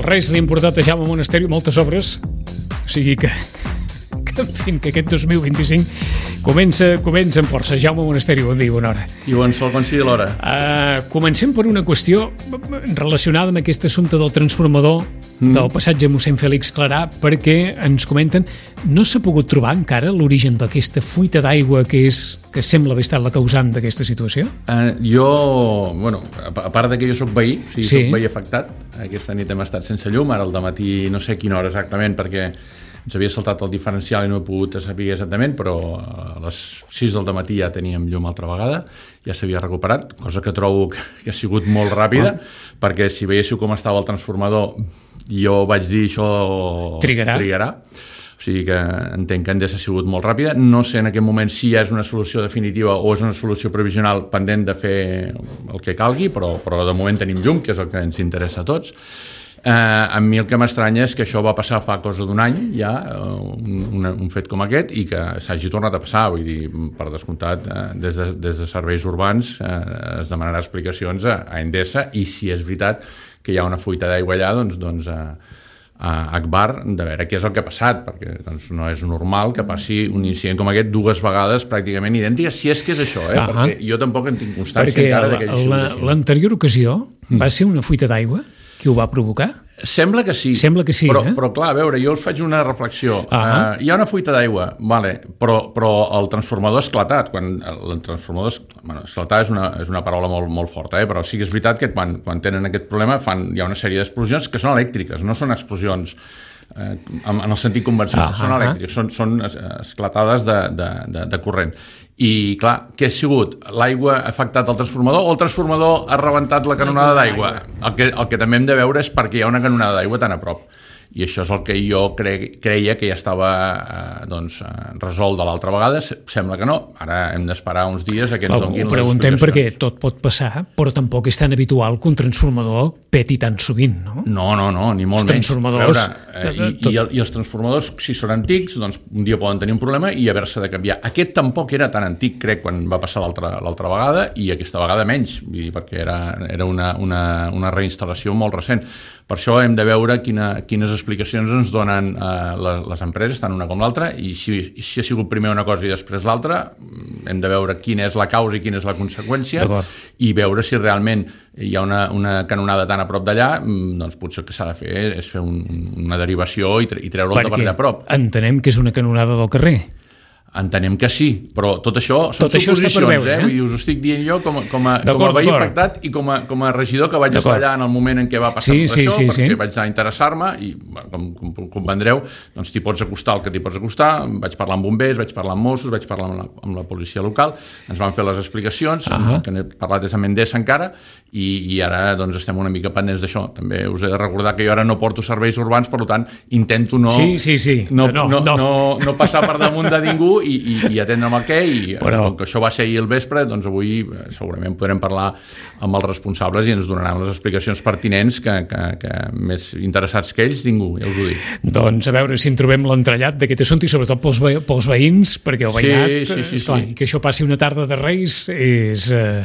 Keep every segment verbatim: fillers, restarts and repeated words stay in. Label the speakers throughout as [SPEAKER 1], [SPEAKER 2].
[SPEAKER 1] res li ha importat a Jaume Monasterio moltes obres, o sigui que, que en fi, que aquest dos mil vint-i-cinc comença, comença amb força. Jaume Monasterio, bon dia, bona hora.
[SPEAKER 2] I bon sol, quan sigui l'hora.
[SPEAKER 1] Uh, comencem per una qüestió relacionada amb aquest assumpte del transformador mm. del passatge mossèn Fèlix Clarà, perquè ens comenten no s'ha pogut trobar encara l'origen d'aquesta fuita d'aigua que és que sembla haver estat la causant d'aquesta situació?
[SPEAKER 2] Uh, jo, bueno, a part de que jo soc veí, o sigui, sí. soc veí afectat, aquesta nit hem estat sense llum, ara al dematí no sé a quina hora exactament, perquè ens havia saltat el diferencial i no he pogut saber exactament, però a les sis del dematí ja teníem llum altra vegada, ja s'havia recuperat, cosa que trobo que ha sigut molt ràpida, oh. perquè si veiéssiu com estava el transformador, jo vaig dir això
[SPEAKER 1] trigarà.
[SPEAKER 2] trigarà. O sigui que entenc que Endesa ha sigut molt ràpida. No sé en aquest moment si ja és una solució definitiva o és una solució provisional pendent de fer el que calgui, però, però de moment tenim llum, que és el que ens interessa a tots. Eh, a mi el que m'estranya és que això va passar fa cosa d'un any ja, un, un, un fet com aquest, i que s'hagi tornat a passar. Vull dir, per descomptat, eh, des, de, des de serveis urbans eh, es demanarà explicacions a, a Endesa, i si és veritat que hi ha una fuita d'aigua allà, doncs, doncs a, a Agbar, de veure què és el que ha passat, perquè doncs, no és normal que passi un incident com aquest dues vegades pràcticament idèntiques, si és que és això, eh?
[SPEAKER 1] Uh-huh.
[SPEAKER 2] perquè jo tampoc en tinc constància
[SPEAKER 1] perquè
[SPEAKER 2] encara de que
[SPEAKER 1] hi la, l'anterior ocasió mm. va ser una fuita d'aigua que ho va provocar?
[SPEAKER 2] Sembla que sí,
[SPEAKER 1] Sembla que sí
[SPEAKER 2] però,
[SPEAKER 1] eh?
[SPEAKER 2] però clar, a veure, jo us faig una reflexió. Uh-huh. uh, hi ha una fuita d'aigua, vale, però, però el transformador ha esclatat. Quan el transformador es, bueno, esclatar és una, és una paraula molt, molt forta, eh? Però sí que és veritat que quan, quan tenen aquest problema fan, hi ha una sèrie d'explosions que són elèctriques, no són explosions eh, en, en el sentit convencional, uh-huh. són elèctriques, són, són esclatades de, de, de, de corrent. I clar, què ha sigut? L'aigua ha afectat el transformador o el transformador ha rebentat la canonada d'aigua? El que, el que també hem de veure és perquè hi ha una canonada d'aigua tan a prop. I això és el que jo cre, creia que ja estava eh, doncs, eh, resolt de l'altra vegada. Sembla que no. Ara hem d'esperar uns dies a que ens donguin les explicacions.
[SPEAKER 1] Ho preguntem perquè tot pot passar, però tampoc és tan habitual que un transformador peti tan sovint, no?
[SPEAKER 2] No, no, no, ni molt
[SPEAKER 1] els
[SPEAKER 2] menys.
[SPEAKER 1] Transformadors...
[SPEAKER 2] A veure, eh, i, i, i els transformadors, si són antics, doncs un dia poden tenir un problema i haver-se de canviar. Aquest tampoc era tan antic, crec, quan va passar l'altra l'altra vegada, i aquesta vegada menys, vull dir, perquè era, era una, una, una reinstal·lació molt recent. Per això hem de veure quina, quines explicacions ens donen eh, les, les empreses, tant una com l'altra, i si, si ha sigut primer una cosa i després l'altra, hem de veure quina és la causa i quina és la conseqüència, i veure si realment hi ha una, una canonada tan a prop d'allà, doncs potser el que s'ha de fer és fer un, una derivació i, tre i treure'l de per allà a prop.
[SPEAKER 1] Entenem que és una canonada del carrer.
[SPEAKER 2] Entenem que sí, però tot això són
[SPEAKER 1] tot suposicions,
[SPEAKER 2] això
[SPEAKER 1] veure,
[SPEAKER 2] eh? eh? Us ho estic dient jo com a, com a, com a veí afectat i com a, com a regidor que vaig estar allà en el moment en què va passar
[SPEAKER 1] sí,
[SPEAKER 2] tot
[SPEAKER 1] sí,
[SPEAKER 2] això,
[SPEAKER 1] sí,
[SPEAKER 2] perquè
[SPEAKER 1] sí.
[SPEAKER 2] vaig anar a interessar-me i, com, com comprendreu, doncs t'hi pots acostar el que t'hi pots acostar. Vaig parlar amb bombers, vaig parlar amb Mossos, vaig parlar amb la, amb la policia local, ens van fer les explicacions, uh -huh. que n'he parlat des de Endesa encara, i, i ara doncs, estem una mica pendents d'això. També us he de recordar que jo ara no porto serveis urbans, per tant, intento no,
[SPEAKER 1] sí, sí, sí.
[SPEAKER 2] no,
[SPEAKER 1] no,
[SPEAKER 2] no,
[SPEAKER 1] no.
[SPEAKER 2] no, no passar per damunt de ningú i, i, i atendre amb el què, i però... com que això va ser ahir al vespre, doncs avui segurament podrem parlar amb els responsables i ens donaran les explicacions pertinents que, que, que més interessats que ells, ningú, ja us ho dic.
[SPEAKER 1] Doncs a veure si en trobem l'entrellat d'aquest assumpte, i sobretot pels, ve pels veïns, perquè el veïnat,
[SPEAKER 2] sí, sí, sí,
[SPEAKER 1] esclar,
[SPEAKER 2] sí.
[SPEAKER 1] que això passi una tarda de Reis és... Eh...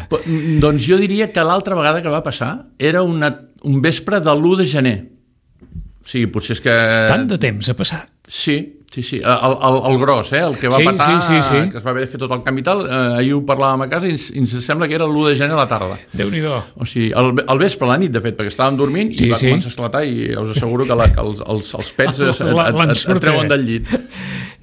[SPEAKER 2] Doncs jo diria que l'altra vegada que va passar era una, un vespre de l'u de gener. O sigui, potser és que...
[SPEAKER 1] Tant de temps ha passat.
[SPEAKER 2] Sí, sí, sí. El, el, el gros, eh? El que va
[SPEAKER 1] sí,
[SPEAKER 2] patar,
[SPEAKER 1] sí, sí, sí.
[SPEAKER 2] que es va haver de fer tot el canvi i tal, eh, ahir ho parlàvem a casa i ens, ens sembla que era l'u de gener a la tarda.
[SPEAKER 1] Déu-n'hi-do.
[SPEAKER 2] O sigui, el, el vespre, la nit, de fet, perquè estàvem dormint sí, i va sí. començar a esclatar, i us asseguro que, la, que els, els, els pets es, et, et, et, et treuen del llit.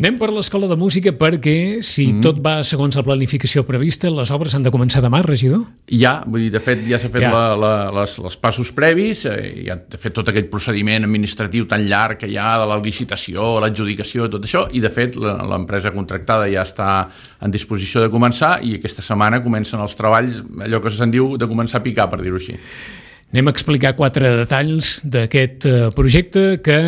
[SPEAKER 1] Anem per l'Escola de Música perquè, si mm. tot va segons la planificació prevista, les obres han de començar demà, regidor?
[SPEAKER 2] Ja, vull dir, de fet, ja s'ha fet ja. la, la, les, els passos previs, eh, ja ha fet tot aquell procediment administratiu tan llarg que hi ha de la licitació, l'adjudicació, tot això, i de fet l'empresa contractada ja està en disposició de començar, i aquesta setmana comencen els treballs, allò que se'n diu de començar a picar, per dir-ho així.
[SPEAKER 1] Anem a explicar quatre detalls d'aquest projecte que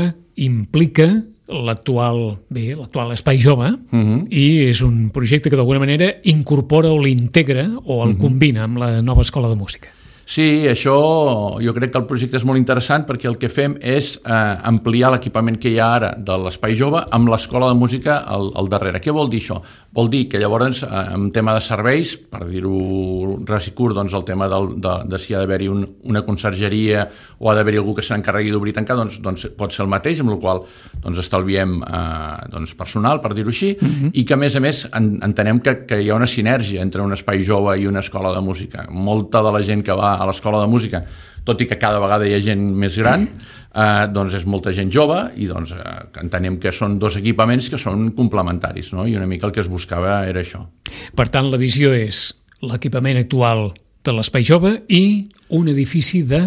[SPEAKER 1] implica l'actual bé, l'actual Espai Jove, uh-huh. i és un projecte que d'alguna manera incorpora o l'integra o el uh-huh. combina amb la nova Escola de Música.
[SPEAKER 2] Sí, això jo crec que el projecte és molt interessant perquè el que fem és eh, ampliar l'equipament que hi ha ara de l'Espai Jove amb l'escola de música al, al darrere. Què vol dir això? Vol dir que llavors, eh, en tema de serveis, per dir-ho ras i curt, doncs el tema del, de, de si ha d'haver-hi un, una consergeria o ha d'haver-hi algú que s'encarregui d'obrir i tancar, doncs, doncs pot ser el mateix, amb la qual doncs, estalviem eh, doncs, personal, per dir-ho així, uh-huh. i que a més a més en, entenem que, que hi ha una sinergia entre un espai jove i una escola de música. Molta de la gent que va a l'escola de música, tot i que cada vegada hi ha gent més gran, eh, doncs és molta gent jove i doncs eh, entenem que són dos equipaments que són complementaris, no? I una mica el que es buscava era això.
[SPEAKER 1] Per tant, la visió és l'equipament actual de l'Espai Jove i un edifici de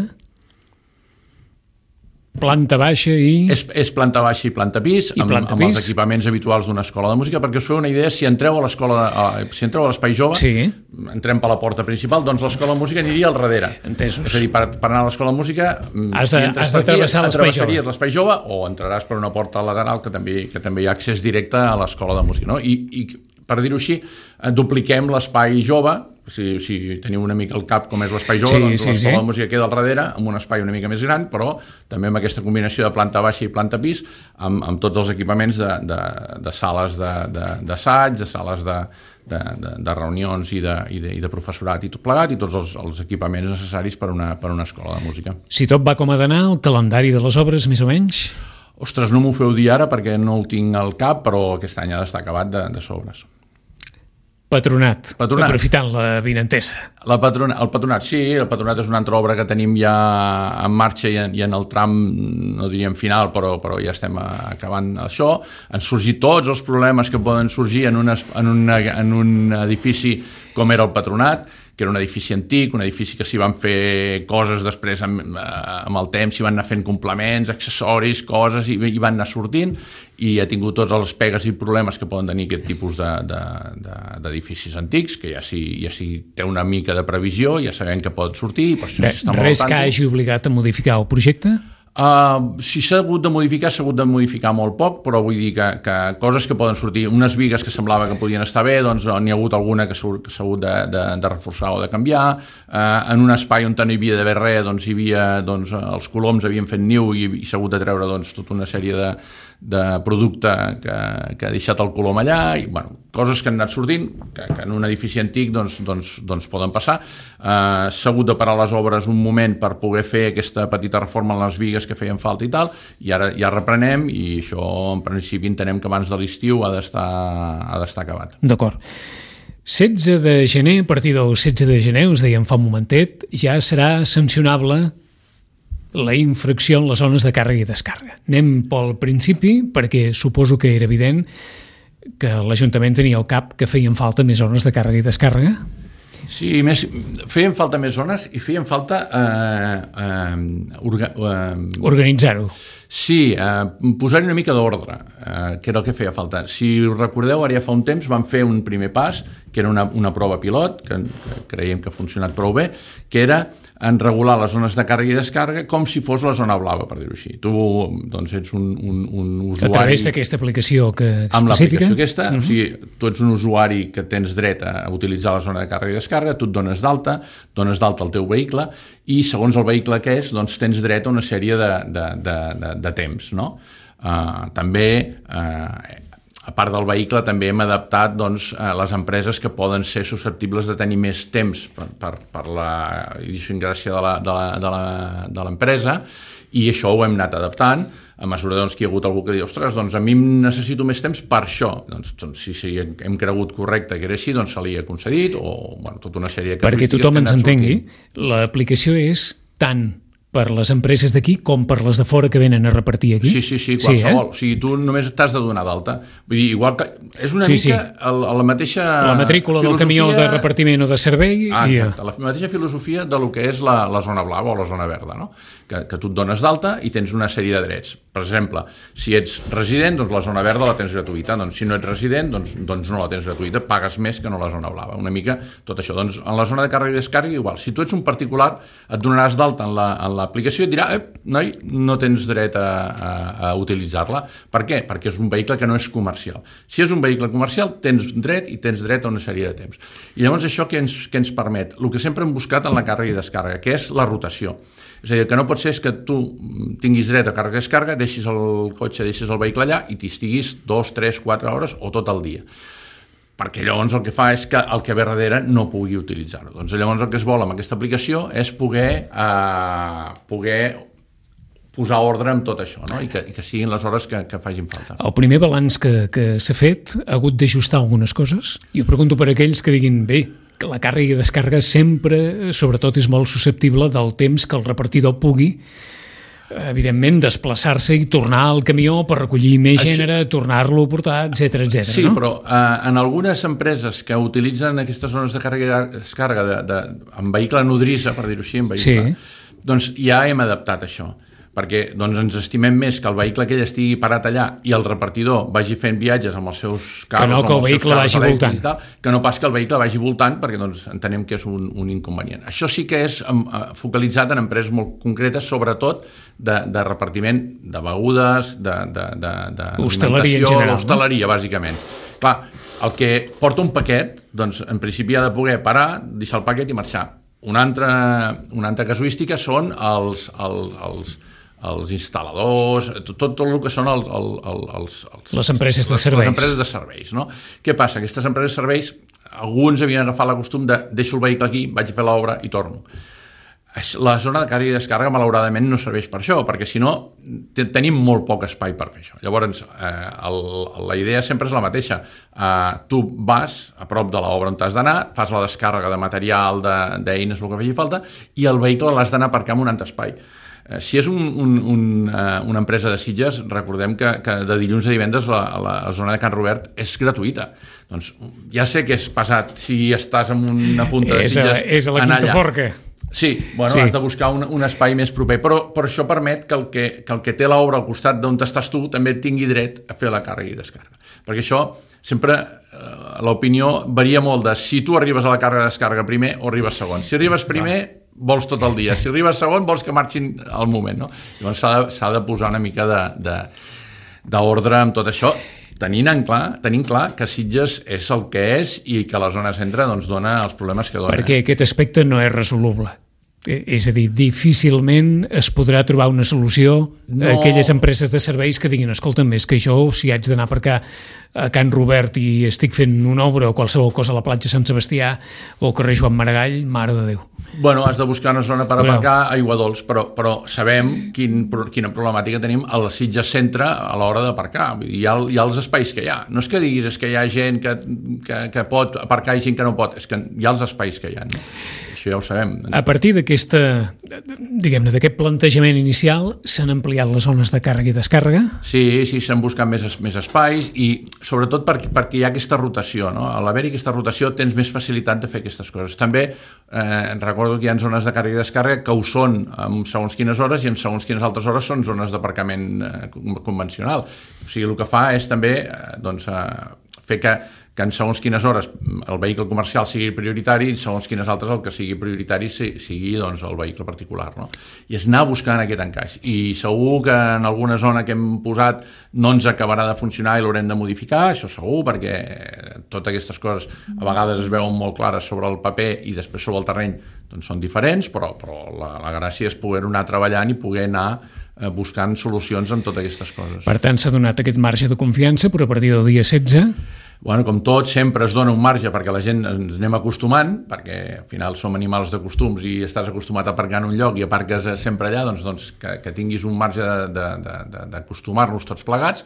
[SPEAKER 1] planta baixa i...
[SPEAKER 2] És, és planta baixa i planta pis,
[SPEAKER 1] I
[SPEAKER 2] amb,
[SPEAKER 1] planta
[SPEAKER 2] amb
[SPEAKER 1] pis.
[SPEAKER 2] els equipaments habituals d'una escola de música, perquè us feu una idea, si entreu a l'escola, a, si entreu a l'Espai Jove,
[SPEAKER 1] sí.
[SPEAKER 2] entrem per la porta principal, doncs l'escola de música aniria al darrere.
[SPEAKER 1] Entesos.
[SPEAKER 2] És a dir, per, per anar a l'escola de música,
[SPEAKER 1] has de,
[SPEAKER 2] si entres
[SPEAKER 1] has de
[SPEAKER 2] per aquí,
[SPEAKER 1] travessar l'Espai Jove.
[SPEAKER 2] l'Espai Jove o entraràs per una porta lateral que també, que també hi ha accés directe a l'escola de música, no? I, i per dir-ho així, dupliquem l'Espai Jove. Si, si teniu una mica el cap com és l'Espai Jove,
[SPEAKER 1] sí,
[SPEAKER 2] doncs
[SPEAKER 1] sí,
[SPEAKER 2] l'escola
[SPEAKER 1] sí.
[SPEAKER 2] de música queda al darrere, amb un espai una mica més gran, però també amb aquesta combinació de planta baixa i planta pis, amb, amb tots els equipaments de, de, de sales d'assaig, de, de sales de, de, de, de reunions i de, i, de, i de professorat i tot plegat, i tots els, els equipaments necessaris per una, per una escola de música.
[SPEAKER 1] Si tot va com ha d'anar, el calendari de les obres, més o menys?
[SPEAKER 2] Ostres, no m'ho feu dir ara perquè no el tinc al cap, però aquest any ha d'estar acabat de, de sobres.
[SPEAKER 1] Patronat,
[SPEAKER 2] patronat.
[SPEAKER 1] Aprofitant la vinentesa.
[SPEAKER 2] La patrona, el patronat, sí, el patronat és una altra obra que tenim ja en marxa i en, i en el tram, no diríem final, però, però ja estem acabant això. Han sorgit tots els problemes que poden sorgir en, una, en, una, en un edifici com era el patronat, que era un edifici antic, un edifici que s'hi van fer coses després amb, amb el temps, s'hi van anar fent complements, accessoris, coses, i, i van anar sortint, i ha tingut tots els pegues i problemes que poden tenir aquest tipus de, de, de, d'edificis antics, que ja si, ja si té una mica de previsió, ja sabem que pot sortir, i per això
[SPEAKER 1] Re,
[SPEAKER 2] s'està
[SPEAKER 1] res que hagi obligat a modificar el projecte?
[SPEAKER 2] Uh, si s'ha hagut de modificar, s'ha hagut de modificar molt poc, però vull dir que, que coses que poden sortir, unes bigues que semblava que podien estar bé, doncs n'hi ha hagut alguna que s'ha hagut de, de, de reforçar o de canviar. Uh, en un espai on no hi havia d'haver res, doncs hi havia, doncs, els coloms havien fet niu i, i s'ha hagut de treure doncs, tota una sèrie de, de producte que, que ha deixat el colom allà, i bueno, coses que han anat sortint, que, que en un edifici antic doncs, doncs, doncs poden passar. Uh, s'ha hagut de parar les obres un moment per poder fer aquesta petita reforma en les bigues que feien falta i tal, i ara ja reprenem, i això en principi entenem que abans de l'estiu ha d'estar ha d'estar acabat.
[SPEAKER 1] D'acord. setze de gener, a partir del setze de gener, us dèiem fa un momentet, ja serà sancionable la infracció en les zones de càrrega i descàrrega. Anem pel principi, perquè suposo que era evident que l'Ajuntament tenia al cap que feien falta més zones de càrrega i descàrrega.
[SPEAKER 2] Sí, més, feien falta més zones i feien falta eh, eh, orga, eh,
[SPEAKER 1] organitzar-ho.
[SPEAKER 2] Sí, eh, posar-hi una mica d'ordre, eh, que era el que feia falta. Si us recordeu, ara ja fa un temps vam fer un primer pas, que era una, una prova pilot, que, que creiem que ha funcionat prou bé, que era en regular les zones de càrrega i descàrrega com si fos la zona blava, per dir-ho així. Tu doncs, ets un, un, un usuari...
[SPEAKER 1] A través d'aquesta aplicació que específica?
[SPEAKER 2] Amb l'aplicació aquesta, uh-huh. O sigui, tu ets un usuari que tens dret a utilitzar la zona de càrrega i descàrrega, tu et dones d'alta, dones d'alta el teu vehicle, i segons el vehicle que és, doncs tens dret a una sèrie de, de, de, de, de temps, no? Uh, també... Uh, a part del vehicle també hem adaptat doncs, les empreses que poden ser susceptibles de tenir més temps per, per, per la idiosincràsia de la, de, la, de, la, de l'empresa, i això ho hem anat adaptant a mesura doncs, que hi ha hagut algú que diu ostres, doncs a mi necessito més temps per això. Doncs, doncs si, si hem cregut correcte que era així, doncs se li ha concedit, o bueno, tota una sèrie de
[SPEAKER 1] característiques. Perquè tothom ens entengui, l'aplicació és tant per les empreses d'aquí com per les de fora que venen a repartir aquí?
[SPEAKER 2] Sí, sí, sí, qualsevol. Sí, eh? O sigui, tu només t'has de donar d'alta. Vull dir, igual que és una sí, mica sí. El, la mateixa
[SPEAKER 1] la matrícula filosofia... del camió de repartiment o de servei.
[SPEAKER 2] Ah, exacte, i... la mateixa filosofia de lo que és la, la zona blava o la zona verda, no? Que, que tu et dones d'alta i tens una sèrie de drets. per exemple, si ets resident, doncs la zona verda la tens gratuïta, doncs si no ets resident, doncs, doncs no la tens gratuïta, pagues més que no la zona blava, una mica tot això. Doncs en la zona de càrrega i descàrrega igual, si tu ets un particular et donaràs d'alta en l'aplicació i et dirà, eh, noi, no tens dret a, a, a utilitzar-la. Per què? Perquè és un vehicle que no és comercial. Si és un vehicle comercial, tens dret i tens dret a una sèrie de temps. I llavors això què ens, què ens permet? El que sempre hem buscat en la càrrega i descàrrega, que és la rotació. És a dir, que no pot ser és que tu tinguis dret a càrrega i descàrrega, deixis el cotxe, deixis el vehicle allà i t'hi estiguis dos, tres, quatre hores o tot el dia. Perquè llavors el que fa és que el que ve darrere no pugui utilitzar-ho. Doncs llavors el que es vol amb aquesta aplicació és poder, eh, poder posar ordre amb tot això, no? I, que, i que siguin les hores que, que facin falta.
[SPEAKER 1] El primer balanç que, que s'ha fet ha hagut d'ajustar algunes coses. I ho pregunto per aquells que diguin, bé, que la càrrega i descàrrega sempre, sobretot, és molt susceptible del temps que el repartidor pugui, evidentment, desplaçar-se i tornar al camió per recollir més Això... gènere, tornar-lo a portar, etcètera, etcètera.
[SPEAKER 2] Sí,
[SPEAKER 1] no?
[SPEAKER 2] però eh, en algunes empreses que utilitzen aquestes zones de càrrega i descàrrega de, de, amb vehicle nodrissa, per dir-ho així, en vehicle, sí. Doncs ja hem adaptat això. Perquè doncs, ens estimem més que el vehicle aquell estigui parat allà i el repartidor vagi fent viatges amb els seus carros,
[SPEAKER 1] que no que el vehicle vagi voltant,
[SPEAKER 2] tal, que no pas que el vehicle vagi voltant, perquè doncs, entenem que és un, un inconvenient. Això sí que és um, focalitzat en empreses molt concretes, sobretot de, de repartiment de begudes, de, de, de, de
[SPEAKER 1] hostaleria en general,
[SPEAKER 2] hostaleria, no? Bàsicament. Clar, el que porta un paquet, doncs en principi ha de poder parar, deixar el paquet i marxar. Una altra, una altra casuística són els, els, els els instal·ladors, tot, tot el que són els, els, els, els,
[SPEAKER 1] les empreses de serveis.
[SPEAKER 2] Les empreses de serveis, no? Què passa? Aquestes empreses de serveis, alguns havien agafat la costum de deixo el vehicle aquí, vaig a fer l'obra i torno. La zona de càrrega i descàrrega, malauradament, no serveix per això, perquè si no, tenim molt poc espai per fer això. Llavors, eh, el, la idea sempre és la mateixa. Eh, tu vas a prop de l'obra on t'has d'anar, fas la descàrrega de material, d'eines, el que faci falta, i el vehicle l'has d'anar a aparcar en un altre espai. Si és un, un, un, uh, una empresa de Sitges, recordem que, que de dilluns a divendres la, la, la zona de Can Robert és gratuïta. Doncs ja sé que és pesat si estàs en una punta de Sitges.
[SPEAKER 1] És a, és a la Quinta Forca.
[SPEAKER 2] Sí, bueno, sí. Has de buscar un, un espai més proper, però, però això permet que el que, que el que té l'obra al costat d'on estàs tu també tingui dret a fer la càrrega i descàrrega. Perquè això sempre, eh, l'opinió varia molt de si tu arribes a la càrrega i descàrrega primer o arribes segon. Si arribes primer... Clar. Vols tot el dia. Si arribes segon, vols que marxin al moment, no? Llavors s'ha de, s'ha de posar una mica d'ordre amb tot això, tenint en clar, tenint clar que Sitges és el que és i que la zona centre doncs, dona els problemes que dona.
[SPEAKER 1] Perquè aquest aspecte no és resoluble. És a dir, difícilment es podrà trobar una solució no. a aquelles empreses de serveis que diguin, escolta'm, és que jo, si haig d'anar per acá a Can Robert i estic fent una obra o qualsevol cosa a la platja Sant Sebastià o al carrer Joan Maragall, mare de Déu.
[SPEAKER 2] Bueno, has de buscar una zona per aparcar a Aiguadols, però, però sabem quin, quina problemàtica tenim a la Sitges Centre a l'hora d'aparcar. Hi ha, hi ha els espais que hi ha. No és que diguis és que hi ha gent que, que, que pot aparcar i gent que no pot, és que hi ha els espais que hi ha, no? Ja ho sabem.
[SPEAKER 1] A partir d'aquesta, diguem-ne, d'aquest plantejament inicial, s'han ampliat les zones de càrrega i descàrrega?
[SPEAKER 2] Sí, sí, s'han buscat més, més espais i sobretot perquè, perquè hi ha aquesta rotació, no? A l'haver-hi aquesta rotació tens més facilitat de fer aquestes coses. També eh, recordo que hi ha zones de càrrega i descàrrega que ho són en segons quines hores i en segons quines altres hores són zones d'aparcament eh, convencional. O sigui, el que fa és també eh, doncs, eh, fer que que en segons quines hores el vehicle comercial sigui prioritari i segons quines altres el que sigui prioritari sigui doncs, el vehicle particular. No? I és anar buscant aquest encaix. I segur que en alguna zona que hem posat no ens acabarà de funcionar i l'haurem de modificar, això segur, perquè totes aquestes coses a vegades es veuen molt clares sobre el paper i després sobre el terreny doncs són diferents, però, però la, la gràcia és poder anar treballant i poder anar eh, buscant solucions en totes aquestes coses.
[SPEAKER 1] Per tant, s'ha donat aquest marge de confiança, però a partir del dia setze...
[SPEAKER 2] Bueno, com tot, sempre es dona un marge perquè la gent ens anem acostumant, perquè al final som animals de costums i estàs acostumat a aparcar en un lloc i aparques sempre allà, doncs, doncs que, que tinguis un marge d'acostumar-nos tots plegats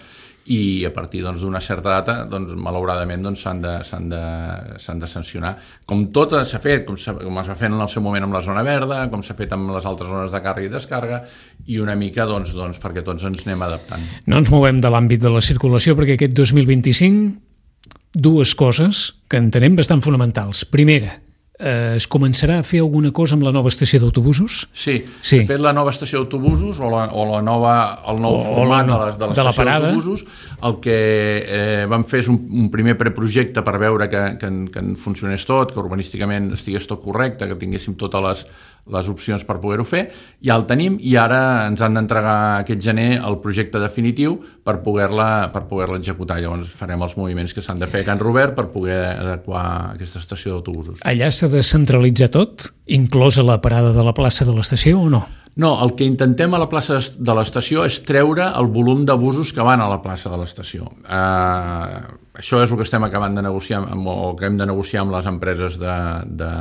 [SPEAKER 2] i a partir doncs, d'una certa data, doncs, malauradament, doncs, s'han de, s'han de, s'han de sancionar. Com tot s'ha fet, com, com es va fer en el seu moment amb la zona verda, com s'ha fet amb les altres zones de càrrega i descàrrega, i una mica doncs, doncs, perquè tots ens anem adaptant.
[SPEAKER 1] No ens movem de l'àmbit de la circulació, perquè aquest dos mil vint-i-cinc dues coses que entenem bastant fonamentals. Primera, eh, es començarà a fer alguna cosa amb la nova estació d'autobusos?
[SPEAKER 2] Sí, sí. De fet, la nova estació d'autobusos o, la, o la nova, el nou o, format o la, de, la, de l'estació d'autobusos, el que eh, vam fer és un, un primer preprojecte per veure que, que, que en funcionés tot, que urbanísticament estigués tot correcte, que tinguéssim totes les, les opcions per poder-ho fer, ja el tenim i ara ens han d'entregar aquest gener el projecte definitiu per poder-la per poder-la executar. Llavors farem els moviments que s'han de fer a Can Robert per poder adequar aquesta estació d'autobusos.
[SPEAKER 1] Allà s'ha de centralitzar tot, inclosa la parada de la plaça de l'estació o no?
[SPEAKER 2] No, el que intentem a la plaça de l'estació és treure el volum de busos que van a la plaça de l'estació. Uh, això és el que estem acabant de negociar amb, o que hem de negociar amb les empreses de, de,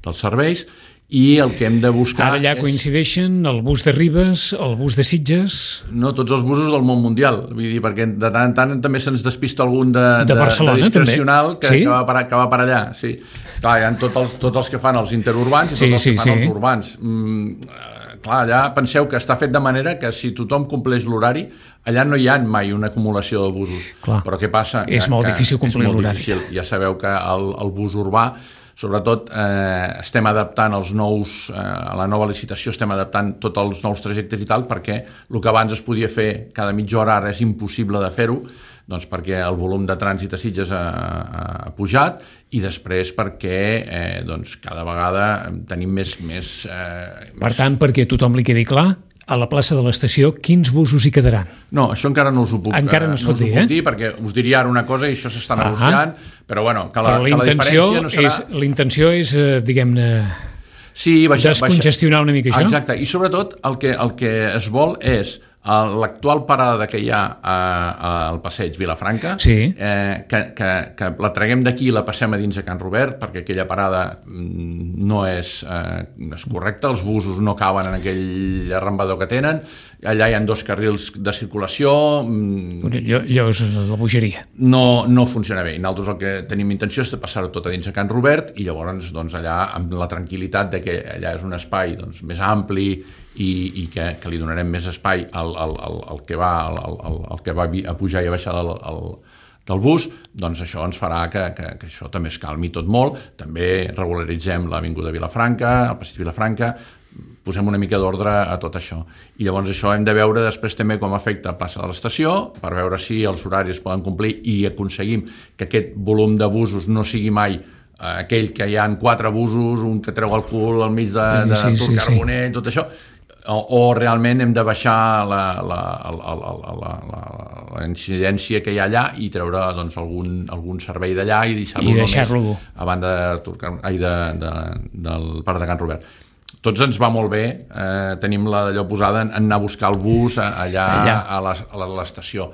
[SPEAKER 2] dels serveis, i el que hem de buscar...
[SPEAKER 1] Ara allà és... coincideixen el bus de Ribes, el bus de Sitges...
[SPEAKER 2] No, tots els busos del món mundial, vull dir, perquè de tant en tant també se'ns despista algun de,
[SPEAKER 1] de, de, Barcelona,
[SPEAKER 2] de discrecional que,
[SPEAKER 1] sí?
[SPEAKER 2] que, va per, que va per allà, sí. Clar, hi ha tots els, tots els que fan els interurbans i tots
[SPEAKER 1] sí,
[SPEAKER 2] els
[SPEAKER 1] sí,
[SPEAKER 2] que fan
[SPEAKER 1] sí.
[SPEAKER 2] els urbans. Mm, clar, allà penseu que està fet de manera que si tothom compleix l'horari, allà no hi ha mai una acumulació de busos.
[SPEAKER 1] Clar.
[SPEAKER 2] Però què passa?
[SPEAKER 1] És
[SPEAKER 2] que,
[SPEAKER 1] molt
[SPEAKER 2] que
[SPEAKER 1] difícil complir l'horari.
[SPEAKER 2] Difícil. Ja sabeu que el, el bus urbà, sobretot eh, estem adaptant els nous, eh, a la nova licitació estem adaptant tots els nous trajectes i tal, perquè el que abans es podia fer cada mitja hora ara és impossible de fer-ho, doncs perquè el volum de trànsit a Sitges ha, ha pujat i després perquè eh, doncs cada vegada tenim més... més eh,
[SPEAKER 1] per tant, perquè a tothom li quedi clar, a la plaça de l'estació, quins busos hi quedaran?
[SPEAKER 2] No, això encara no us ho puc,
[SPEAKER 1] encara no,
[SPEAKER 2] no us
[SPEAKER 1] dir,
[SPEAKER 2] ho puc
[SPEAKER 1] eh?
[SPEAKER 2] dir, perquè us diria ara una cosa i això s'està negociant, però bueno, que la,
[SPEAKER 1] però
[SPEAKER 2] que la diferència no serà...
[SPEAKER 1] És, l'intenció és, eh, diguem-ne,
[SPEAKER 2] sí, baixar,
[SPEAKER 1] descongestionar
[SPEAKER 2] baixar.
[SPEAKER 1] una mica això?
[SPEAKER 2] Exacte, i sobretot el que, el que es vol és l'actual parada que hi ha a, a, al passeig Vilafranca,
[SPEAKER 1] sí.
[SPEAKER 2] eh, que, que, que la traguem d'aquí i la passem a dins a Can Robert, perquè aquella parada no és, eh, és correcta, els busos no caben en aquell arrambador que tenen, allà hi ha dos carrils de circulació...
[SPEAKER 1] Allò, allò és la bogeria.
[SPEAKER 2] No, no funciona bé. I nosaltres el que tenim intenció és de passar-ho tot a dins a Can Robert i llavors doncs, allà amb la tranquil·litat de que allà és un espai doncs, més ampli i, i que, que li donarem més espai al, al, al, al que va, al, al, al que va a pujar i a baixar del, al, del bus, doncs això ens farà que, que, que això també es calmi tot molt. També regularitzem l'avinguda Vilafranca, el passeig Vilafranca, posem una mica d'ordre a tot això. I llavors això hem de veure després també com afecta a plaça de l'estació, per veure si els horaris poden complir i aconseguim que aquest volum de busos no sigui mai eh, aquell que hi ha quatre busos, un que treu el cul al mig de, de sí, Tur Carbonell, sí. Tot això, o, o realment hem de baixar la, la, la, la, la, la, la, la incidència que hi ha allà i treure doncs, algun, algun servei d'allà i deixar-lo
[SPEAKER 1] deixar
[SPEAKER 2] només a banda de Tur Carbonell, ai, de, de, del parc de Can Robert. Tots ens va molt bé, eh, tenim allò posada en anar a buscar el bus allà, allà. a l'estació.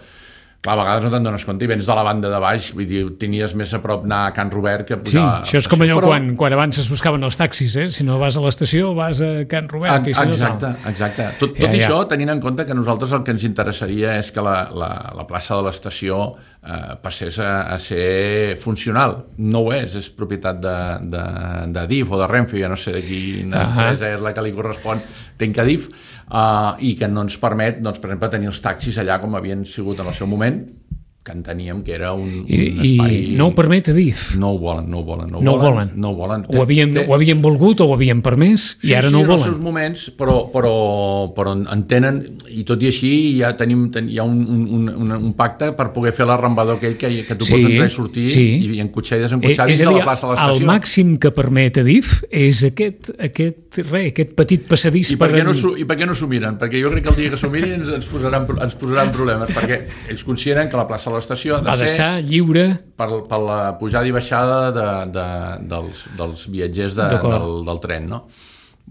[SPEAKER 2] Clar, a vegades no te'n dones compte i vens de la banda de baix, vull dir, tenies més a prop anar a Can Robert que pujar...
[SPEAKER 1] Sí, això és com allò però... quan, quan abans es buscaven els taxis, eh? Si no vas a l'estació, vas a Can Robert.
[SPEAKER 2] A,
[SPEAKER 1] i si
[SPEAKER 2] exacte,
[SPEAKER 1] no,
[SPEAKER 2] exacte. Tot, tot ja, ja. Això tenint en compte que nosaltres el que ens interessaria és que la, la, la plaça de l'estació eh, passés a, a ser funcional. No ho és, és propietat de, de, de D I F o de Renfe, ja no sé de quina uh -huh. empresa és la que li correspon, tenc a D I F, Uh, i que no ens permet, doncs, per exemple, tenir els taxis allà com havien sigut en el seu moment, que enteníem que era un,
[SPEAKER 1] I,
[SPEAKER 2] un espai...
[SPEAKER 1] I no ho permet a D I F?
[SPEAKER 2] No ho volen, no ho volen. No,
[SPEAKER 1] no
[SPEAKER 2] ho volen,
[SPEAKER 1] volen.
[SPEAKER 2] No ho volen.
[SPEAKER 1] Ho havien, té... ho havien volgut o ho havien permès i
[SPEAKER 2] sí,
[SPEAKER 1] ara
[SPEAKER 2] sí,
[SPEAKER 1] no ho volen.
[SPEAKER 2] Sí, en els seus moments, però, però, però entenen, i tot i així ja tenim, ten, hi ha un, un, un, un pacte per poder fer l'arrambador aquell que, que tu sí, pots entrar i sortir sí. i, i encotxar i desencotxar dins de la plaça de l'estació.
[SPEAKER 1] El màxim que permet a D I F és aquest, aquest, re, aquest petit passadís
[SPEAKER 2] I per, per què no, I per què no s'ho miren? Perquè jo crec que el dia que s'ho mirin ens, ens, posaran, ens posaran problemes, perquè ells consideren que la plaça de l'estació ha de ser
[SPEAKER 1] estar lliure
[SPEAKER 2] per, per la pujada i baixada de, de, dels, dels viatgers de, del, del tren, no?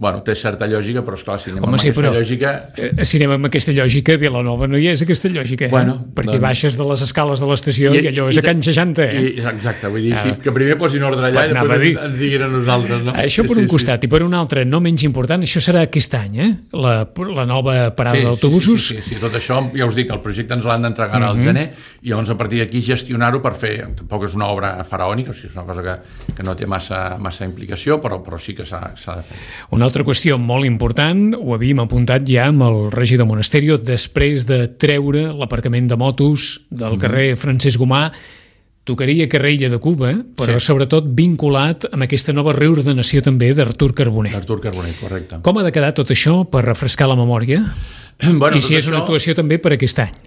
[SPEAKER 2] Bueno, té certa lògica, però esclar, si anem Home, amb sí, aquesta però, lògica...
[SPEAKER 1] Eh, si anem amb aquesta lògica, Vilanova no hi és aquesta lògica, eh?
[SPEAKER 2] Bueno,
[SPEAKER 1] perquè
[SPEAKER 2] doncs...
[SPEAKER 1] baixes de les escales de l'estació i, i allò és i, a Can seixanta, eh?
[SPEAKER 2] I, exacte, vull dir, ah. sí, que primer posin ordre allà i després ens, ens diguin a nosaltres, no?
[SPEAKER 1] Això per sí, un sí, costat, sí. I per un altre, no menys important, això serà aquest any, eh? La, la nova parada sí, d'autobusos.
[SPEAKER 2] Sí, sí, sí, sí, tot això, ja us dic, el projecte ens l'han d'entregar uh -huh. al gener i llavors a partir d'aquí gestionar-ho per fer, tampoc és una obra faraònica, o sigui, és una cosa que, que no té massa, massa implicació, però, però sí que s'ha de fer.
[SPEAKER 1] Una altra qüestió molt important, ho havíem apuntat ja amb el regidor Monasterio, després de treure l'aparcament de motos del carrer Francesc Gomà, tocaria carrer Illa de Cuba, però sí. sobretot vinculat amb aquesta nova reordenació també d'Artur Carbonell.
[SPEAKER 2] Artur Carbonell, correcte.
[SPEAKER 1] Com ha de quedar tot això per refrescar la memòria?
[SPEAKER 2] Bueno,
[SPEAKER 1] I si és
[SPEAKER 2] això...
[SPEAKER 1] una actuació també per aquest any?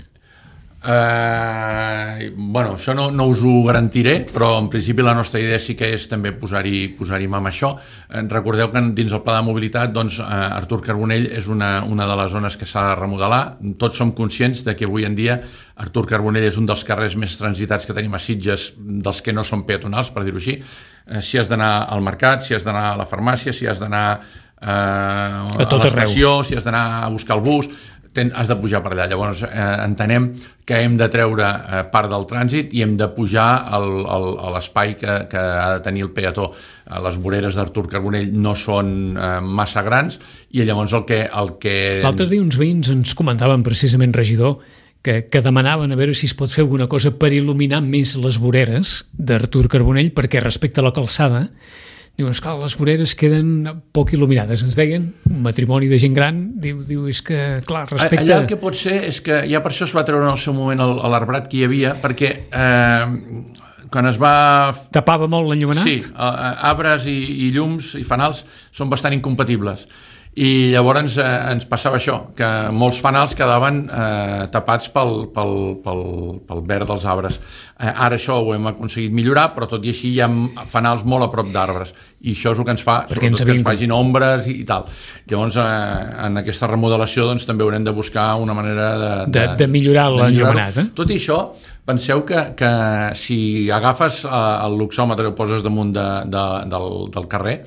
[SPEAKER 2] Uh, bueno, això no, no us ho garantiré, però en principi la nostra idea sí que és també posar-hi posar-hi mà amb això. Eh, recordeu que dins el pla de mobilitat doncs, uh, Artur Carbonell és una, una de les zones que s'ha de remodelar. Tots som conscients de que avui en dia Artur Carbonell és un dels carrers més transitats que tenim a Sitges, dels que no són peatonals, per dir-ho així. Eh, si has d'anar al mercat, si has d'anar a la farmàcia, si has d'anar uh, a, a l'estació, si has d'anar a buscar el bus... Ten, has de pujar per allà. Llavors eh, entenem que hem de treure eh, part del trànsit i hem de pujar el, el, a l'espai que, que ha de tenir el peató. Eh, les voreres d'Artur Carbonell no són eh, massa grans i llavors el que... El que...
[SPEAKER 1] L'altre dia uns veïns ens comentaven precisament, regidor, que, que demanaven a veure si es pot fer alguna cosa per il·luminar més les voreres d'Artur Carbonell, perquè respecte a la calçada diuen, esclar, les voreres queden poc il·luminades. Ens deien, un matrimoni de gent gran, diu, diu és que, clar, respecte...
[SPEAKER 2] Allà el que pot ser és que ja per això es va treure en el seu moment l'arbrat que hi havia, perquè eh, quan es va...
[SPEAKER 1] Tapava molt l'enllumenat?
[SPEAKER 2] Sí, eh, arbres i, i llums i fanals són bastant incompatibles. I llavors eh, ens passava això, que molts fanals quedaven eh, tapats pel, pel, pel, pel verd dels arbres. Eh, ara això ho hem aconseguit millorar, però tot i així hi ha fanals molt a prop d'arbres. I això és el que ens fa,
[SPEAKER 1] perquè
[SPEAKER 2] sobretot
[SPEAKER 1] ens
[SPEAKER 2] que ens facin ombres i, i tal. Llavors, eh, en aquesta remodelació doncs, també haurem de buscar una manera de...
[SPEAKER 1] De, de, de millorar l'enllumenat. Eh?
[SPEAKER 2] Tot i això, penseu que, que si agafes eh, el luxòmetre i el poses damunt de, de, del, del carrer,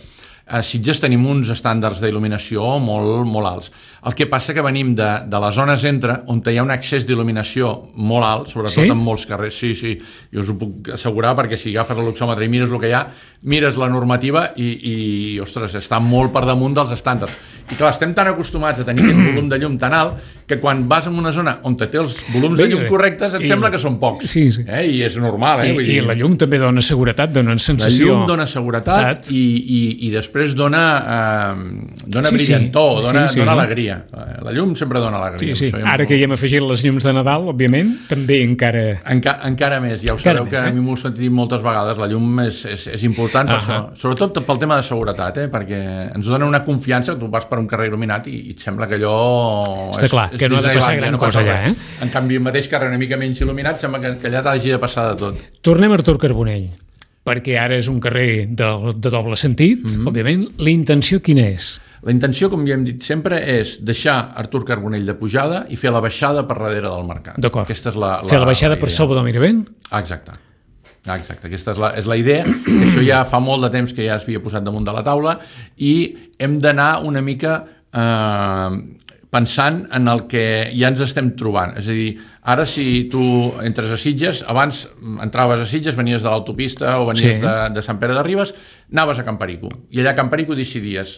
[SPEAKER 2] a Sitges tenim uns estàndards d'il·luminació molt, molt alts. El que passa que venim de, de la zona centre, on hi ha un accés d'il·luminació molt alt, sobretot sí? en molts carrers. Sí, sí, jo us ho puc assegurar, perquè si agafes el luxòmetre i mires el que hi ha, mires la normativa i, i ostres, està molt per damunt dels estàndards. I clar, estem tan acostumats a tenir aquest volum de llum tan alt que quan vas en una zona on té els volums Bé, de llum correctes et i, sembla que són pocs.
[SPEAKER 1] Sí, sí.
[SPEAKER 2] Eh? I és normal. Eh?
[SPEAKER 1] I,
[SPEAKER 2] Vull dir,
[SPEAKER 1] I la llum també dona seguretat, dona sensació...
[SPEAKER 2] La llum dona seguretat i, i, i després dona, eh, dona sí, brillantor, sí. dona, sí, sí. dona alegria. La llum sempre dona alegria.
[SPEAKER 1] Sí, sí. Ara molt... que hi hem afegit les llums de Nadal, òbviament, també encara...
[SPEAKER 2] Enca, encara més. Ja ho encara sabeu més, que eh? a mi m'ho he sentit moltes vegades. La llum és, és, és important, per això. Sobretot pel tema de seguretat, eh? Perquè ens dona una confiança. Tu vas per un carrer il·luminat i, i et sembla que allò...
[SPEAKER 1] Està és, clar, és que no ha de passar gran no cosa allà, eh?
[SPEAKER 2] En canvi, el mateix carrer una mica menys il·luminat sembla que, que allà t'hagi de passar de tot.
[SPEAKER 1] Tornem a Artur Carbonell, perquè ara és un carrer de, de doble sentit, mm-hmm. òbviament. La intenció quina és?
[SPEAKER 2] La intenció, com ja hem dit sempre, és deixar Artur Carbonell de pujada i fer la baixada per darrere del mercat.
[SPEAKER 1] D'acord.
[SPEAKER 2] Aquesta és la, la,
[SPEAKER 1] fer la baixada
[SPEAKER 2] la
[SPEAKER 1] per sobre del Miravent?
[SPEAKER 2] Exacte. Exacte, aquesta és la, és la idea. Això ja fa molt de temps que ja es havia posat damunt de la taula i hem d'anar una mica... Eh, pensant en el que ja ens estem trobant. És a dir, ara si tu entres a Sitges, abans entraves a Sitges, venies de l'autopista o venies sí. de, de Sant Pere de Ribes, anaves a Camparico. I allà a Camparico decidies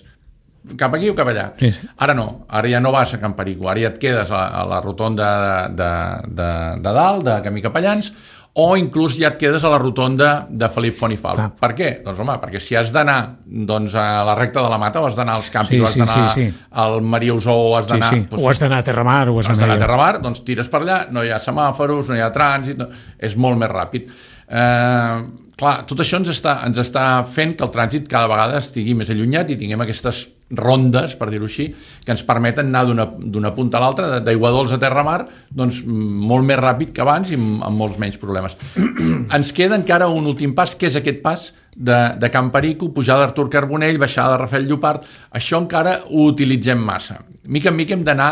[SPEAKER 2] cap aquí o cap allà. Sí, sí. Ara no, ara ja no vas a Camparico, ara ja et quedes a, a la rotonda de, de, de, de dalt, de Camí Capellans, o inclús ja et quedes a la rotonda de Felip Font i Fal. Clar. Per què? Doncs home, perquè si has d'anar doncs, a la recta de la Mata, o has d'anar als Campi, sí, o has d'anar sí, sí. al Maria Usó, o has d'anar... Sí, sí.
[SPEAKER 1] Doncs, o has d'anar a Terramar, o has
[SPEAKER 2] d'anar a Terramar, doncs tires per allà, no hi ha semàforos, no hi ha trànsit, no... és molt més ràpid. Eh, clar, tot això ens està, ens està fent que el trànsit cada vegada estigui més allunyat i tinguem aquestes rondes, per dir-ho així, que ens permeten anar d'una punta a l'altra, d'Aiguadols a Terramar, doncs molt més ràpid que abans i amb, amb molts menys problemes. Ens queda encara un últim pas, que és aquest pas de, de Camparico, pujada d'Artur Carbonell, baixada de Rafael Llopart. Això encara ho utilitzem massa. Mica en mica hem d'anar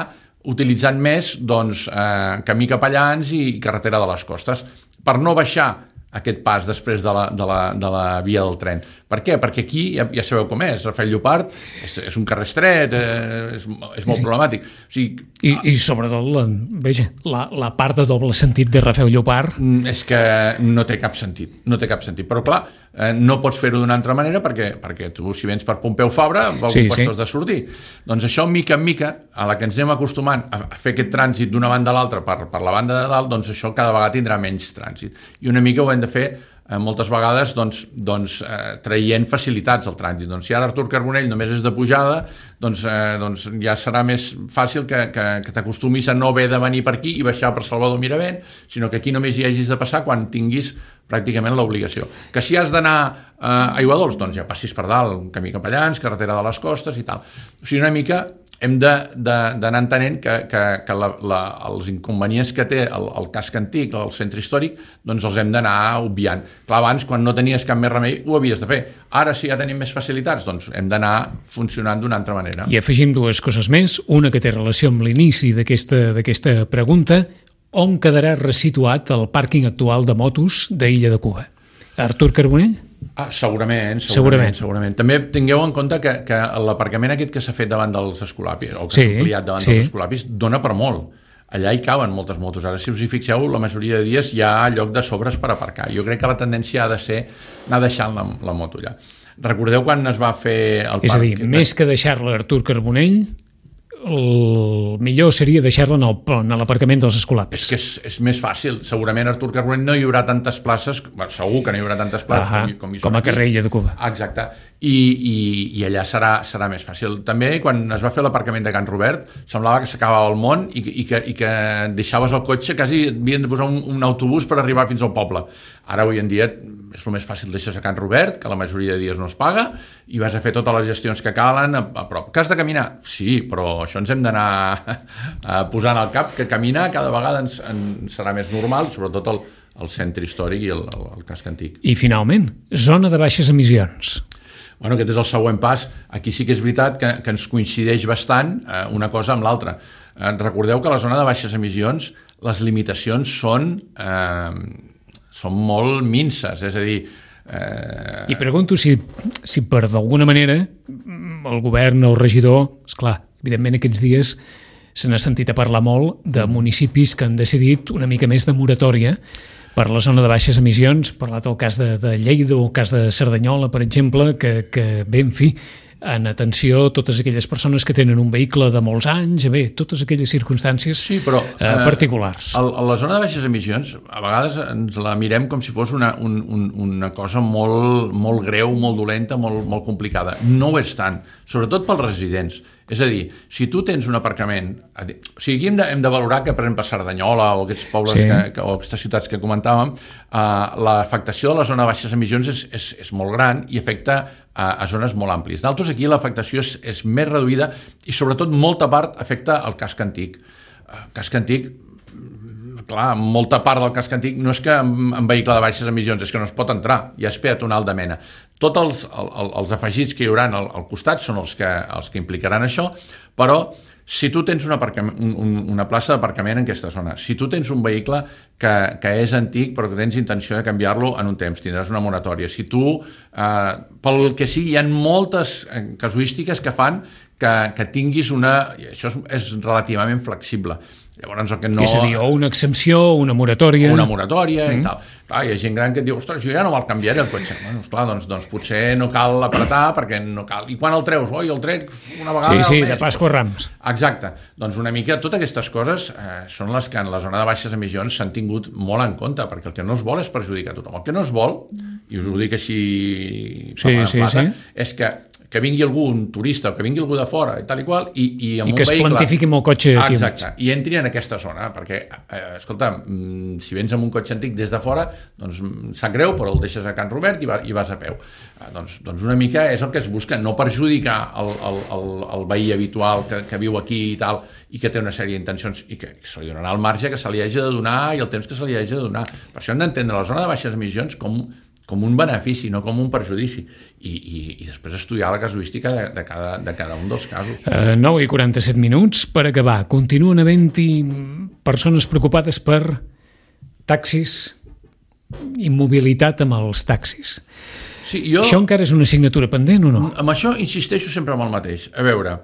[SPEAKER 2] utilitzant més doncs, eh, camí Capellans i carretera de les Costes, per no baixar aquest pas després de la, de la, de la via del tren. Per què? Perquè aquí, ja, ja sabeu com és, Rafael Llopart és, és un carrer estret, eh, és, és molt sí. problemàtic. O sigui,
[SPEAKER 1] I, I sobretot, la, veja, la, la part de doble sentit de Rafael Llopart...
[SPEAKER 2] És que no té cap sentit, no té cap sentit. Però clar, eh, no pots fer-ho d'una altra manera perquè, perquè tu, si vens per Pompeu Fabra, vol sí, sí. has de sortir. Doncs això, mica en mica, a la que ens anem acostumant a fer aquest trànsit d'una banda a l'altra per, per la banda de dalt, doncs això cada vegada tindrà menys trànsit. I una mica ho hem de fer eh, moltes vegades doncs, doncs, eh, traient facilitats al trànsit. Doncs si ara Artur Carbonell només és de pujada, doncs, eh, doncs ja serà més fàcil que, que, que t'acostumis a no haver de venir per aquí i baixar per Salvador Miravent, sinó que aquí només hi hagis de passar quan tinguis pràcticament l'obligació. Que si has d'anar eh, a Aiguadols, doncs ja passis per dalt, camí Capellans, carretera de les Costes i tal. O sigui, una mica hem d'anar entenent que, que, que la, la, els inconvenients que té el, el casc antic, el centre històric, doncs els hem d'anar obviant. Clar, abans, quan no tenies cap més remei, ho havies de fer. Ara, si ja tenim més facilitats, doncs hem d'anar funcionant d'una altra manera.
[SPEAKER 1] I afegim dues coses més, una que té relació amb l'inici d'aquesta pregunta: on quedarà resituat el pàrquing actual de motos d'Illa de Cuba? Artur Carbonell?
[SPEAKER 2] Ah, segurament, segurament, segurament, segurament. També tingueu en compte que, que l'aparcament aquest que s'ha fet davant dels escolapis, o que s'ha sí, ampliat davant sí. dels escolapis, dona per molt. Allà hi caben moltes motos. Ara, si us hi fixeu, la majoria de dies hi ha lloc de sobres per aparcar. Jo crec que la tendència ha de ser anar deixant la, la moto allà. Recordeu quan es va fer el
[SPEAKER 1] És
[SPEAKER 2] parc?
[SPEAKER 1] És a dir, que... més que deixar-la a Artur Carbonell, el millor seria deixar-la en l'aparcament dels escolapis.
[SPEAKER 2] És que és, és més fàcil. Segurament a Artur Carbonell no hi haurà tantes places, bueno, segur que no hi haurà tantes places
[SPEAKER 1] ah,
[SPEAKER 2] com, com hi
[SPEAKER 1] són com a carrer Illa de Cuba.
[SPEAKER 2] Exacte. I, i, i allà serà, serà més fàcil. També, quan es va fer l'aparcament de Can Robert, semblava que s'acabava el món i, i, que, i que deixaves el cotxe, quasi havien de posar un, un autobús per arribar fins al poble. Ara, avui en dia, és el més fàcil, deixes a Can Robert, que la majoria de dies no es paga, i vas a fer totes les gestions que calen a, a prop. Que has de caminar? Sí, però això ens hem d'anar posant al cap, que caminar cada vegada ens, ens serà més normal, sobretot el, el centre històric i el, el, el casc antic.
[SPEAKER 1] I finalment, zona de baixes emissions.
[SPEAKER 2] Bueno, aquest és el següent pas. Aquí sí que és veritat que, que ens coincideix bastant eh, una cosa amb l'altra. Eh, recordeu que a la zona de baixes emissions les limitacions són, eh, són molt minces, és a dir...
[SPEAKER 1] Eh... I pregunto si, si per d'alguna manera el govern o el regidor, esclar, evidentment aquests dies se n'ha sentit a parlar molt de municipis que han decidit una mica més de moratòria per la zona de baixes emissions, parlat el cas de, de Lleida o el cas de Cerdanyola, per exemple, que, que bé, en fi, en atenció totes aquelles persones que tenen un vehicle de molts anys, bé, totes aquelles circumstàncies sí, però, eh, particulars.
[SPEAKER 2] A, a la zona de baixes emissions, a vegades ens la mirem com si fos una, un, un, una cosa molt, molt greu, molt dolenta, molt, molt complicada. No ho és tant, sobretot pels residents. És a dir, si tu tens un aparcament... O sigui, aquí hem de, hem de valorar que, per exemple, a Cerdanyola o aquests pobles sí. que, que, o aquestes ciutats que comentàvem, eh, l'afectació de la zona de baixes emissions és, és, és molt gran i afecta a, a zones molt àmplies. D'altres, aquí l'afectació és, és més reduïda i, sobretot, molta part afecta el casc antic. El casc antic, clar, molta part del casc antic no és que en, en vehicle de baixes emissions, és que no es pot entrar, ja és peatonal de mena. Tots els, el, els afegits que hi haurà al, al costat són els que, els que implicaran això, però si tu tens una, un, una plaça d'aparcament en aquesta zona, si tu tens un vehicle que, que és antic però que tens intenció de canviar-lo en un temps, tindràs una moratòria. Si tu, eh, pel que sigui, hi ha moltes casuístiques que fan que, que tinguis una... I això és, és relativament flexible. Llavors, el que no...
[SPEAKER 1] És a dir, o una exempció, una moratòria...
[SPEAKER 2] Una moratòria mm. i tal. Clar, hi ha gent gran que et diu, ostres, jo ja no me'l canviaré el cotxe. Bueno, esclar, doncs, doncs potser no cal apretar perquè no cal... I quan el treus? Oi, el trec una vegada
[SPEAKER 1] sí, sí,
[SPEAKER 2] al mes.
[SPEAKER 1] de Pasqua Rams.
[SPEAKER 2] Exacte. Doncs una mica, totes aquestes coses eh, són les que en la zona de baixes emissions s'han tingut molt en compte, perquè el que no es vol és perjudicar tothom. El que no es vol, i us ho dic així
[SPEAKER 1] sí, sí,
[SPEAKER 2] plata,
[SPEAKER 1] sí.
[SPEAKER 2] és que que vingui algú, un turista, o que vingui algú de fora, i tal i qual, i, i amb
[SPEAKER 1] I
[SPEAKER 2] un
[SPEAKER 1] que es
[SPEAKER 2] vehicle...
[SPEAKER 1] plantifiqui amb el cotxe aquí.
[SPEAKER 2] Exacte, i entri en aquesta zona, perquè, eh, escolta, si vens amb un cotxe antic des de fora, doncs sap greu, però el deixes a Can Robert i, va, i vas a peu. Eh, doncs, doncs una mica és el que es busca, no perjudicar el, el, el, el veí habitual que, que viu aquí i tal, i que té una sèrie d'intencions, i que se li donarà el marge que se li hagi de donar i el temps que se li hagi de donar. Per això hem d'entendre la zona de baixes emissions com com un benefici, no com un perjudici, i, i, i després estudiar la casuística de, de, cada, de cada un dels casos.
[SPEAKER 1] Uh, nou i quaranta-set minuts per acabar. Continuen havent-hi persones preocupades per taxis i mobilitat amb els taxis.
[SPEAKER 2] Sí, jo...
[SPEAKER 1] Això encara és una assignatura pendent o no?
[SPEAKER 2] Amb això insisteixo sempre amb el mateix. A veure,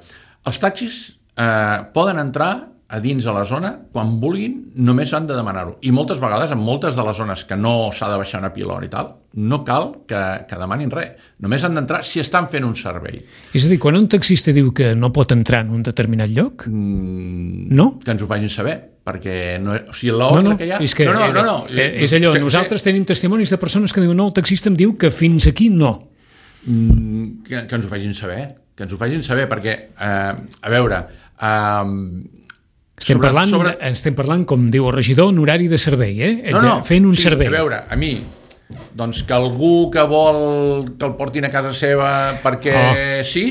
[SPEAKER 2] els taxis eh, poden entrar a dins de la zona, quan vulguin, només han de demanar-ho. I moltes vegades, en moltes de les zones que no s'ha de baixar una pilona i tal, no cal que, que demanin res. Només han d'entrar si estan fent un servei.
[SPEAKER 1] És a dir, quan un taxista diu que no pot entrar en un determinat lloc,
[SPEAKER 2] mm,
[SPEAKER 1] no?
[SPEAKER 2] Que ens ho facin saber. perquè no, o sigui, l'obra
[SPEAKER 1] no, no,
[SPEAKER 2] que hi ha...
[SPEAKER 1] És, que,
[SPEAKER 2] no, no, no, no.
[SPEAKER 1] Eh, és allò, sí, nosaltres sí. tenim testimonis de persones que diuen no, el taxista em diu que fins aquí no.
[SPEAKER 2] Mm, que, que ens ho facin saber, que ens ho facin saber, perquè, eh, a veure... Eh,
[SPEAKER 1] estem, sobre, parlant, sobre... estem parlant, com diu el regidor, en horari de servei, eh?
[SPEAKER 2] No, no,
[SPEAKER 1] fent un
[SPEAKER 2] sí,
[SPEAKER 1] servei.
[SPEAKER 2] A veure, a mi, doncs que algú que vol que el portin a casa seva perquè oh. sí,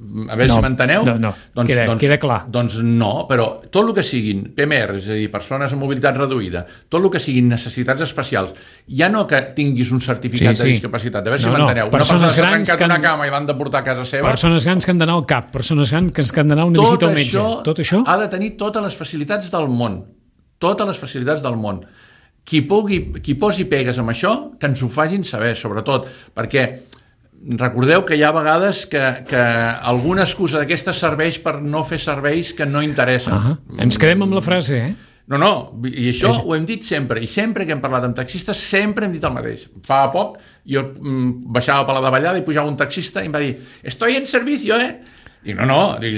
[SPEAKER 2] a veure no, si m'enteneu,
[SPEAKER 1] no, no.
[SPEAKER 2] Doncs,
[SPEAKER 1] queda,
[SPEAKER 2] doncs,
[SPEAKER 1] queda clar.
[SPEAKER 2] Doncs no, però tot el que siguin P M R, és a dir, persones amb mobilitat reduïda, tot el que siguin necessitats especials, ja no que tinguis un certificat sí, sí. de discapacitat, a veure no, si m'enteneu. No. Una persona s'ha trencat una cama i l'han de portar a casa seva.
[SPEAKER 1] Persones grans que han d'anar al cap, persones grans que han d'anar a una visita al metge.
[SPEAKER 2] Això,
[SPEAKER 1] tot això
[SPEAKER 2] ha de tenir totes les facilitats del món. Totes les facilitats del món. Qui, pugui, qui posi pegues amb això, que ens ho facin saber, sobretot, perquè recordeu que hi ha vegades que, que alguna excusa d'aquesta serveix per no fer serveis que no interessen.
[SPEAKER 1] Uh -huh. Ens quedem amb la frase, eh?
[SPEAKER 2] No, no, i això eh. ho hem dit sempre, i sempre que hem parlat amb taxistes sempre hem dit el mateix. Fa poc jo mm, baixava per la davallada i pujava un taxista i em va dir «Estoy en servicio, eh?» Dic, no, no, dic,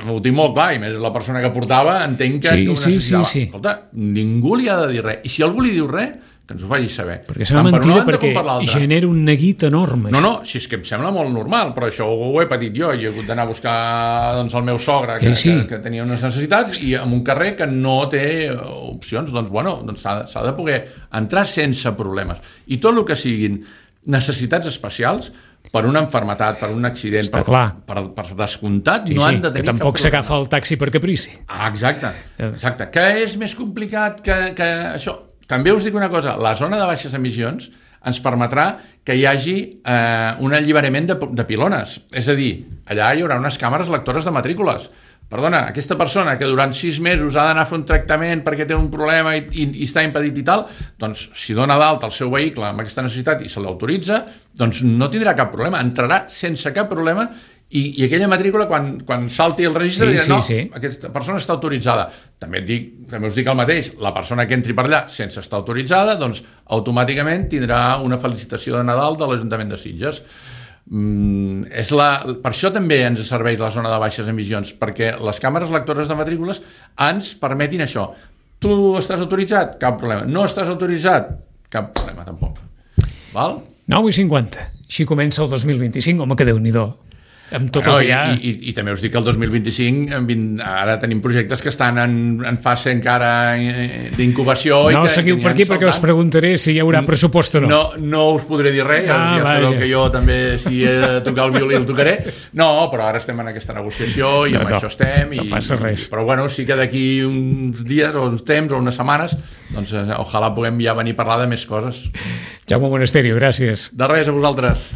[SPEAKER 2] ho tinc molt clar, i més la persona que portava entenc que,
[SPEAKER 1] sí,
[SPEAKER 2] que ho necessitava.
[SPEAKER 1] Sí, sí, sí.
[SPEAKER 2] Escolta, ningú li ha de dir res, i si algú li diu res, que ens ho faci saber.
[SPEAKER 1] Perquè serà mentida perquè genera un neguit enorme.
[SPEAKER 2] No, no, si és que em sembla molt normal, però això ho he patit jo, i he hagut d'anar a buscar doncs, el meu sogre, que,
[SPEAKER 1] sí, sí.
[SPEAKER 2] que, que tenia unes necessitats, i en un carrer que no té opcions, doncs, bueno, doncs s'ha de poder entrar sense problemes. I tot el que siguin necessitats especials, per una enfermetat, per un accident, per, per, per descomptat, sí, no han de tenir
[SPEAKER 1] que tampoc s'agafa el taxi per caprici.
[SPEAKER 2] Ah, exacte, exacte. Que és més complicat que, que això. També us dic una cosa, la zona de baixes emissions ens permetrà que hi hagi eh, un alliberament de, de pilones. És a dir, allà hi haurà unes càmeres lectores de matrícules. Perdona, aquesta persona que durant sis mesos ha d'anar a fer un tractament perquè té un problema i, i, i està impedit i tal, doncs si dona d'alta el seu vehicle amb aquesta necessitat i se l'autoritza, doncs no tindrà cap problema, entrarà sense cap problema i, i aquella matrícula quan, quan salti el registre
[SPEAKER 1] sí,
[SPEAKER 2] dirà,
[SPEAKER 1] sí,
[SPEAKER 2] no,
[SPEAKER 1] sí.
[SPEAKER 2] aquesta persona està autoritzada. També, et dic, també us dic el mateix, la persona que entri per allà sense estar autoritzada, doncs automàticament tindrà una felicitació de Nadal de l'Ajuntament de Sitges. Mm, és la, per això també ens serveix la zona de baixes emissions, perquè les càmeres lectores de matrícules ens permetin això. Tu estàs autoritzat? Cap problema. No estàs autoritzat? Cap problema, tampoc. Val?
[SPEAKER 1] nou i cinquanta. Així comença el dos mil vint-i-cinc. Home, que Déu-n'hi-do. Amb tot no, el que hi ha...
[SPEAKER 2] I, i, i també us dic que el dos mil vint-i-cinc ara tenim projectes que estan en, en fase encara d'incubació.
[SPEAKER 1] No
[SPEAKER 2] i que,
[SPEAKER 1] seguiu
[SPEAKER 2] que
[SPEAKER 1] per aquí
[SPEAKER 2] saltant.
[SPEAKER 1] Perquè us preguntaré si hi haurà pressupost o no.
[SPEAKER 2] No, no us podré dir res, ah, ja sabeu que jo també si he de tocar el violí el tocaré. No, però ara estem en aquesta negociació i amb no, això estem. I,
[SPEAKER 1] no passa res.
[SPEAKER 2] Però bueno, sí que d'aquí uns dies o uns temps o unes setmanes doncs ojalà puguem ja venir a parlar de més coses.
[SPEAKER 1] Jaume Monasterio, gràcies.
[SPEAKER 2] De res, a vosaltres.